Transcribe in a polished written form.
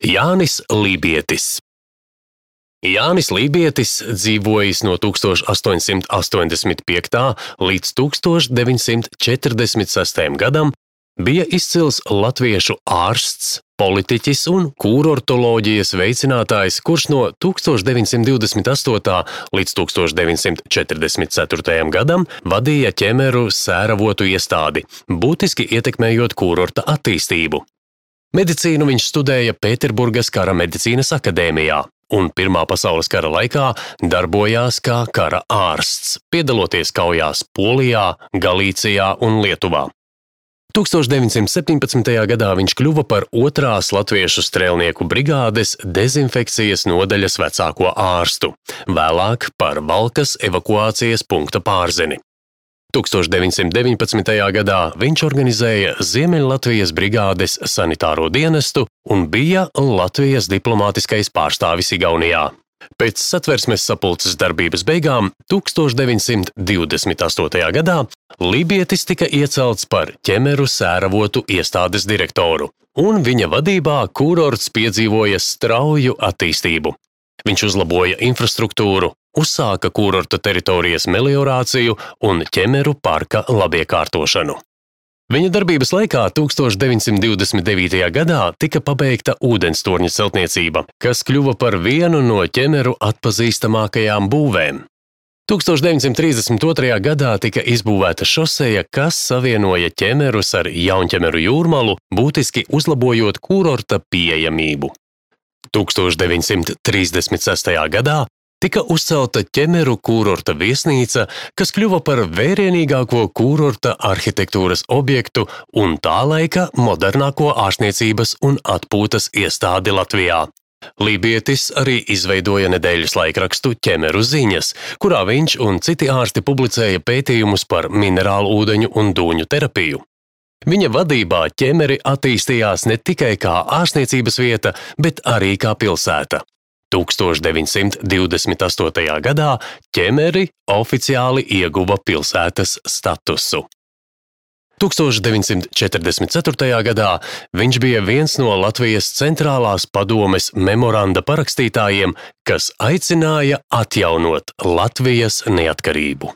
Jānis Lībietis. Jānis Lībietis dzīvojis no 1885. līdz 1946. gadam, bija izcils latviešu ārsts, politiķis un kūrortoloģijas veicinātājs, kurš no 1928. līdz 1944. gadam vadīja ķemeru sēravotu iestādi, būtiski ietekmējot kūrorta attīstību. Medicīnu viņš studēja Pēterburgas kara medicīnas akadēmijā un Pirmā pasaules kara laikā darbojās kā kara ārsts, piedaloties kaujās Polijā, Galīcijā un Lietuvā. 1917. gadā viņš kļuva par 2. latviešu strēlnieku brigādes dezinfekcijas nodaļas vecāko ārstu, vēlāk par Valkas evakuācijas punkta pārzini. 1919. gadā viņš organizēja Ziemeļlatvijas brigādes sanitāro dienestu un bija Latvijas diplomātiskais pārstāvis Igaunijā. Pēc Satversmes sapulces darbības beigām 1928. gadā Lībietis tika iecelts par ķemeru sēravotu iestādes direktoru, un viņa vadībā kūrorts piedzīvoja strauju attīstību. Viņš uzlaboja infrastruktūru, uzsāka kūrorta teritorijas meliorāciju un ķemeru parka labiekārtošanu. Viņa darbības laikā 1929. gadā tika pabeigta ūdenstorņa celtniecība, kas kļuva par vienu no ķemeru atpazīstamākajām būvēm. 1932. gadā tika izbūvēta šoseja, kas savienoja ķemerus ar Jaunķemeru jūrmalu, būtiski uzlabojot kūrorta pieejamību. 1936. gadā tika uzcelta ķemeru kūrorta viesnīca, kas kļuva par vērienīgāko kūrorta arhitektūras objektu un tā laika modernāko ārstniecības un atpūtas iestādi Latvijā. Lībietis arī izveidoja nedēļas laikrakstu Ķemeru ziņas, kurā viņš un citi ārsti publicēja pētījumus par minerālu ūdeņu un dūņu terapiju. Viņa vadībā ķemeri attīstījās ne tikai kā ārstniecības vieta, bet arī kā pilsēta. 1928. gadā ķemeri oficiāli ieguva pilsētas statusu. 1944. gadā viņš bija viens no Latvijas centrālās padomes memoranda parakstītājiem, kas aicināja atjaunot Latvijas neatkarību.